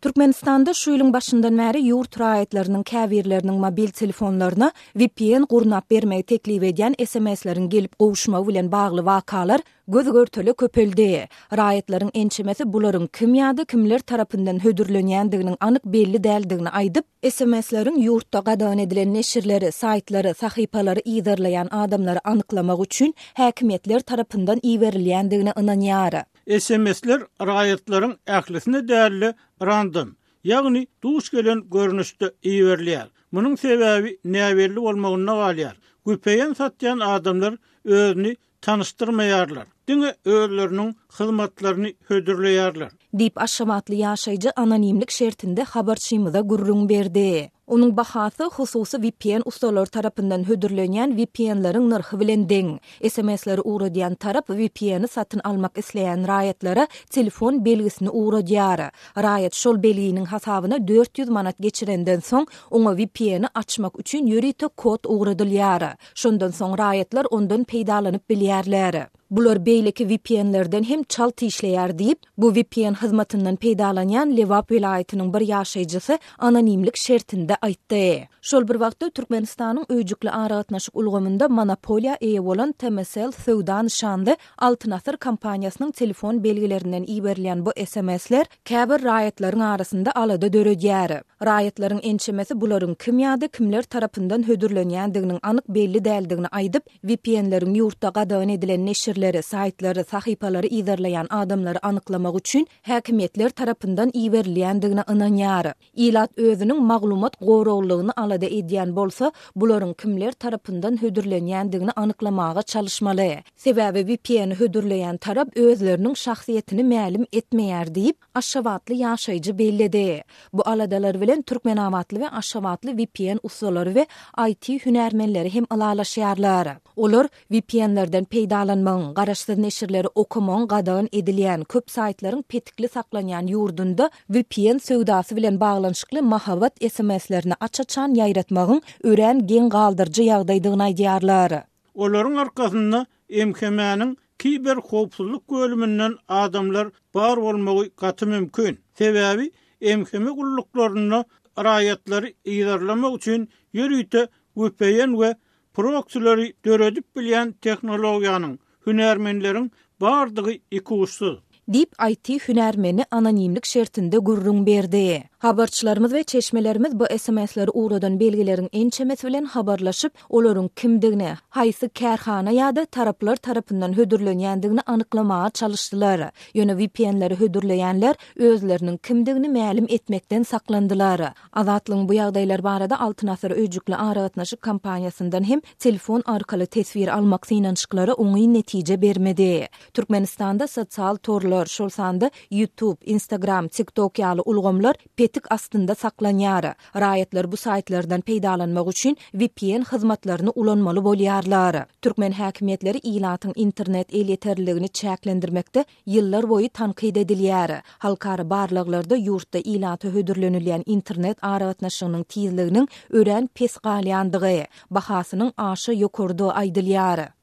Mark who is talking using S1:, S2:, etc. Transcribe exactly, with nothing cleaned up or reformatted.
S1: Türkmenistanda şu ýylyň başyndan bäri ýurt raýatlarynyň käbirleriniň mobil telefonlaryna V P N gurnap bermegi teklip edýän S M S-leriň gelip gowuşmagy bilen bagly wakalar göz görtele köpeldi. Raýatlaryň ençemesi bularyň kim ýa-da kimler tarapyndan hödürlenýändiginiň anyk belli däldigini aýdyp, S M S-leriň ýurtda gadagan edilen neşirleri, saýtlary, sahypalary yzarlaýan adamlary anyklamak üçin häkimiýetler tarapyndan iberilýändigine ynanýar.
S2: S M S-ler raýatlaryň ählisine däl-de random, ýagny duş gelen görnüşde iberilýär. Munuň sebäbi näbelli bolmagynda galýar. V P N satýan adamlar özüni tanyşdyrmaýarlar. Diňe özleriniň hyzmatlaryny hödürleýärler.
S1: Diýip, aşgabatly ýaşaýjy anonimlik şertinde habarçymyza gürrüň berdi. Onuň bahasy hususy V P N ustalary tarapyndan hödürlenýän V P N-leriň nyrhy bilen deň. S M S-leri ugradýan tarap V P N-i satyn almak isleýän raýatlara telefon belgisini ugradýar. Raýat şol belginiň hasabyna dört ýüz manat geçirenden soň, oňa V P N-i açmak üçin ýörite kod ugradylýar. Şondan soň raýatlar ondan peýdalanyp bilýärler. Bular beýleki V P N-lerden hem çalt işleýär diýip, bu V P N hyzmatyndan peýdalanýan Lebap welaýatynyň bir ýaşaýjysy anonimlik şertinde aýtdy. Şol bir wagtda Türkmenistanyň öýjükli aragatnaşyk ulgamynda monopoliýa eýe bolan T M C L söwda nyşanly Altyn Asyr kompaniýasynyň telefon belgilerinden iberilýän bu S M S-ler käbir raýatlaryň arasynda alada döredýär. Raýatlaryň ençemesi bularyň kim ýa-da kimler tarapyndan hödürlenýändiginiň anyk belli däldigini aýdyp, V P N-leriň ýurtda gadagan edilen neşirleri, saýtlary, sahypalary yzarlaýan adamlary anyklamak üçin häkimiýetler tarapyndan iberilýändigine ynanýar. Ilat özüniň maglumat goraglylygyny alada edýän bolsa, bularyň kimler tarapyndan hödürlenýändigini anyklamaga çalyşmaly. Sebäbi V P N hödürleýän tarap özleriniň şahsyýetini mälim etmeýär diýip, aşgabatly ýaşaýjy belledi. Bu aladalar bilen Türkmenabatly we Aşgabatly V P N ustalary we I T hünärmenleri hem ylalaşýarlar. Olar V P N-lerden peýdalanmagyň, garaşsyz neşirleri okamagyň gadagan edilýän, köp saýtlaryň petikli saklanýan ýurdunda V P N söwdasy bilen baglanyşykly mahabat S M S-lerini aç-açan ýaýratmagyň örän geň galdyryjy ýagdaýdygyny aýdýarlar.
S2: Olaryň arkasynda M H M-niň kiber howpsuzlyk bölüminden adamlar bar bolmagy gaty mümkin. Sebäbi M H M gulluklarynda raýatlary yzarlamak üçin ýörite V P N we proksileri döredip bilýän tehnologiýanyň, hünärmenleriň bardygy ikuçsuz.
S1: Diýip, I T hünärmeni anonimlik şertinde gürrüň berdi. Habarçylarymyz we çeşmelerimiz bu S M S-leri ugradan belgileriň ençemesi bilen habarlaşyp, olaryň kimdigini, haýsy kärhana ýa-da taraplar tarapyndan hödürlenýändigini anyklamaga çalyşdylar. Ýöne V P N-leri hödürleýänler özleriniň kimdigini mälim etmekden saklandylar. Azatlygyň bu ýagdaýlar barada Altyn Asyr öýjükli aragatnaşyk kompaniýasyndan hem telefon arkaly teswir almak synanyşyklary oňyn netije bermedi. Türkmenistanda sosial torlar, şol sanda YouTube, Instagram, TikTok ýaly ulgamlar petik astynda saklanýar. Raýatlar bu saýtlardan peýdalanmak üçin V P N hyzmatlaryny ulanmaly bolýarlar. Türkmen häkimiýetleri ilatyň internet elýeterliligini çäklendirmekde ýyllar boýy tankyt edilýär. Halkara barlaglarda ýurtda ilata hödürlenilýän internet aragatnaşygynyň tizliginiň örän pes galýandygy, bahasynyň aşa ýokarydygy aýdylýar.